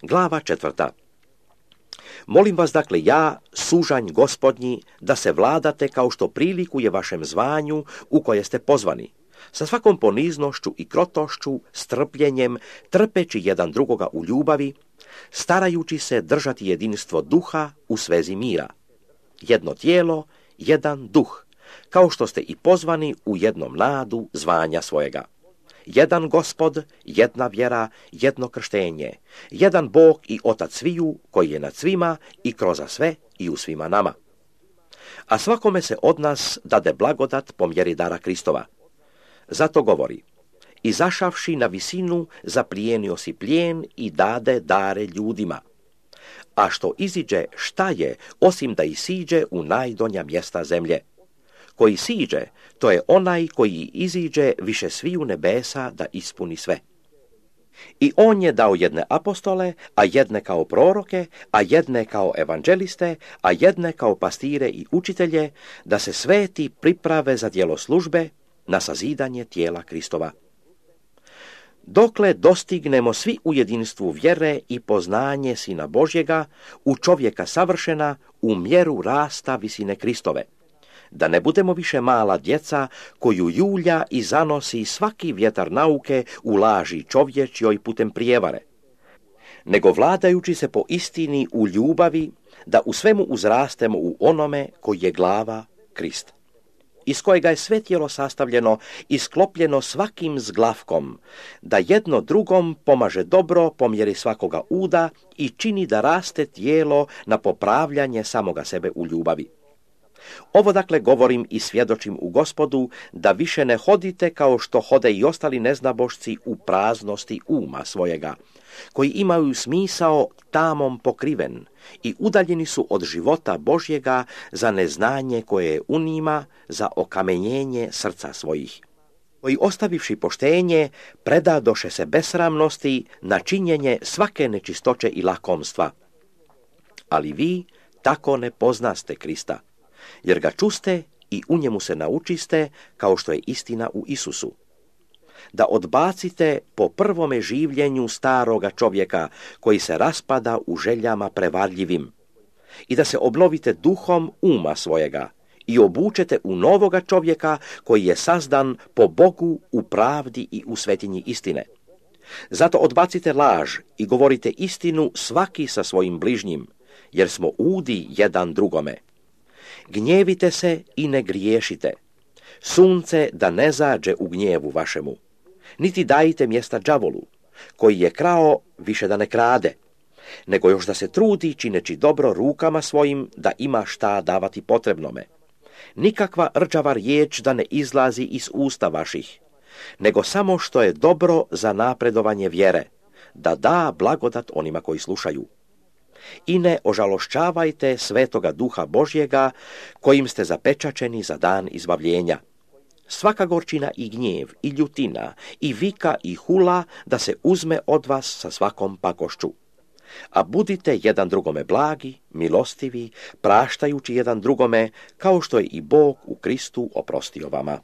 Glava 4. Molim vas dakle ja, sužanj Gospodnji, da se vladate kao što prilikuje vašem zvanju u koje ste pozvani, sa svakom poniznošću i krotošću, strpljenjem, trpeći jedan drugoga u ljubavi, starajući se držati jedinstvo duha u svezi mira. Jedno tijelo, jedan duh, kao što ste i pozvani u jednom nadu zvanja svojega. Jedan Gospod, jedna vjera, jedno krštenje, jedan Bog i Otac sviju, koji je nad svima i kroza sve i u svima nama. A svakome se od nas dade blagodat po mjeri dara Kristova. Zato govori, izašavši na visinu, zaplijenio si plijen i dade dare ljudima. A što iziđe, šta je, osim da isiđe u najdonja mjesta zemlje? Koji siđe, to je onaj koji iziđe više sviju nebesa da ispuni sve. I on je dao jedne apostole, a jedne kao proroke, a jedne kao evanđeliste, a jedne kao pastire i učitelje, da se sveti priprave za djelo službe, na sazidanje tijela Kristova. Dokle dostignemo svi u jedinstvu vjere i poznanje Sina Božjega, u čovjeka savršena, u mjeru rasta visine Kristove, da ne budemo više mala djeca koju julja i zanosi svaki vjetar nauke u laži čovječjoj putem prijevare, nego vladajući se po istini u ljubavi, da u svemu uzrastemo u onome koji je glava, Krist, iz kojega je sve tijelo sastavljeno i sklopljeno svakim zglavkom, da jedno drugom pomaže dobro po mjeri svakoga uda i čini da raste tijelo na popravljanje samoga sebe u ljubavi. Ovo dakle govorim i svjedočim u Gospodu, da više ne hodite kao što hode i ostali neznabošci u praznosti uma svojega, koji imaju smisao tamom pokriven i udaljeni su od života Božjega za neznanje koje je u njima, za okamenjenje srca svojih, koji ostavivši poštenje predadoše se besramnosti na činjenje svake nečistoće i lakomstva. Ali vi tako ne poznaste Krista, jer ga čuste i u njemu se naučiste, kao što je istina u Isusu. Da odbacite po prvome življenju staroga čovjeka, koji se raspada u željama prevarljivim, i da se obnovite duhom uma svojega i obučete u novoga čovjeka, koji je sazdan po Bogu u pravdi i u svetinji istine. Zato odbacite laž i govorite istinu svaki sa svojim bližnjim, jer smo udi jedan drugome. Gnjevite se i ne griješite. Sunce da ne zađe u gnjevu vašemu. Niti dajte mjesta đavolu, koji je krao više da ne krade, nego još da se trudi čineći dobro rukama svojim, da ima šta davati potrebnome. Nikakva rđava riječ da ne izlazi iz usta vaših, nego samo što je dobro za napredovanje vjere, da da blagodat onima koji slušaju. I ne ožalošćavajte svetoga duha Božjega, kojim ste zapečačeni za dan izbavljenja. Svaka gorčina i gnjev, i ljutina, i vika, i hula, da se uzme od vas sa svakom pakošću. A budite jedan drugome blagi, milostivi, praštajući jedan drugome, kao što je i Bog u Kristu oprostio vama.